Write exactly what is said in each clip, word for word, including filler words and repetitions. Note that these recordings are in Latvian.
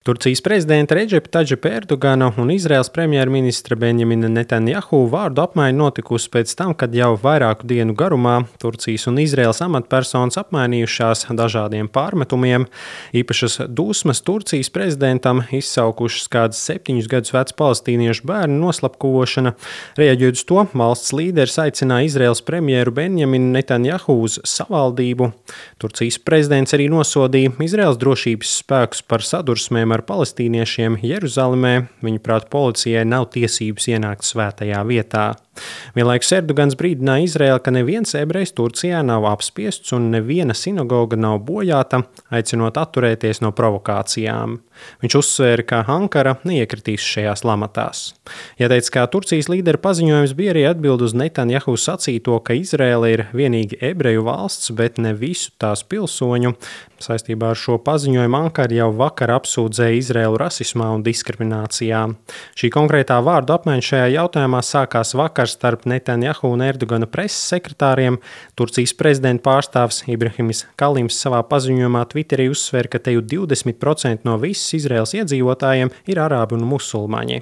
Turcijas prezidenta Redžepa Tadžipa Erdogana un Izraēlas premjerministra Benjamina Netanjahu vārdu apmaiņa notikusi pēc tam, kad jau vairāku dienu garumā Turcijas un Izraēlas amatpersonas apmainījušās dažādiem pārmetumiem. Īpašas dusmas Turcijas prezidentam izsaukušas kādas septiņus gadus vecu palestīniešu bērnu noslapkavošana. Reaģējot uz to, valsts līderis aicināja Izraēlas premjeru Benjaminu Netanjahu uz savaldību. Turcijas prezidents arī nosodīja Izraēlas drošības spēkus par sadursmēm ar palestīniešiem Jeruzalemē. Viņuprāt, policijai nav tiesības ienākt svētajā vietā. Vienlaikus Erdogans brīdināja Izraēlu, ka neviens ebrejs Turcijā nav apspiests un neviena sinagoga nav bojāta, aicinot atturēties no provokācijām. Viņš uzsvēra, ka Ankara neiekritīs šajās lamatās. Jāteic, ka Turcijas līdera paziņojums bija arī atbild uz Netanjahu sacīto, ka Izraēla ir vienīgi ebreju valsts, bet ne visu tās pilsoņu. Saistībā ar šo paziņojumu Ankara jau vakar apsūdzēja Izraēlu rasismā un diskriminācijā. Šī konkrētā vārdu apmaiņa šajā jautājumā sākās vakar starp Netanjahu un Erdogana preses sekretāriem. Turcijas prezidenta pārstāvs Ibrahims Kalims savā paziņojumā Twitterī uzsver, ka te jau divdesmit procenti no visas Izraēlas iedzīvotājiem ir arābi un musulmaņi.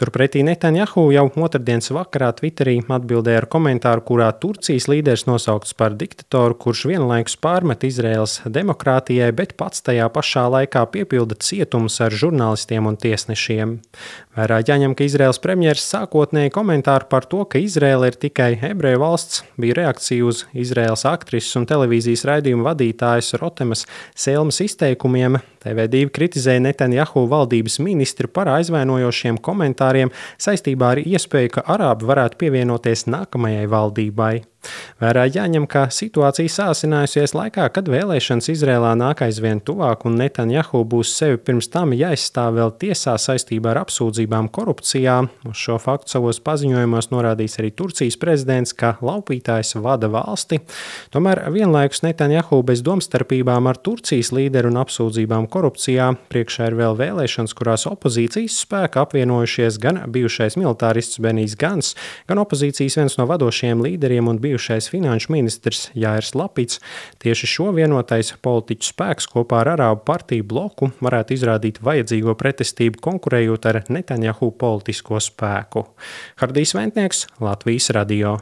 Turpretī Netanjahu jau otrdienas vakarā Twitterī atbildēja ar komentāru, kurā Turcijas līderis nosaukts par diktatoru, kurš vienlaikus pārmet Izraēlas demokrātijai, bet pats tajā pašā laikā piepilda cietumus ar žurnālistiem un tiesnešiem. Vērā jāņem, ka Izraēlas premjers sākotnēji komentāru par to, ka Izraēla ir tikai ebreju valsts, bija reakcija uz Izraēlas aktrises un televīzijas raidījuma vadītājas Rotemas Selmas izteikumiem. T V divi kritizēja Netanjahu valdības ministri par aizvainojošiem komentāriem saistībā ar iespēju, ka arābi varētu pievienoties nākamajai valdībai. Vērā jāņem, ka situācija sāsinājusies laikā, kad vēlēšanas Izrēlā nāk aizvien tuvāk un Netanjahu būs sevi pirms tam jāizstāv vēl tiesā saistībā ar apsūdzībām korupcijā. Uz šo faktu savos paziņojumos norādījis arī Turcijas prezidents, ka laupītājs vada valsti. Tomēr vienlaikus Netanjahu bez domstarpībām ar Turcijas līderu un apsūdzībām korupcijā priekšā ir vēl vēlēšanas, kurās opozīcijas spēki apvienojušies gan bijušais militārists Benijs Gans, gan opozīcijas viens no vadošajiem līderiem un bijušais finanšu ministrs Jāirs Lapits. Tieši šo vienotais politiķu spēks kopā ar Arābu partiju bloku varētu izrādīt vajadzīgo pretestību, konkurējot ar Netanjahu politisko spēku. Hardijs Ventnieks, Latvijas radio.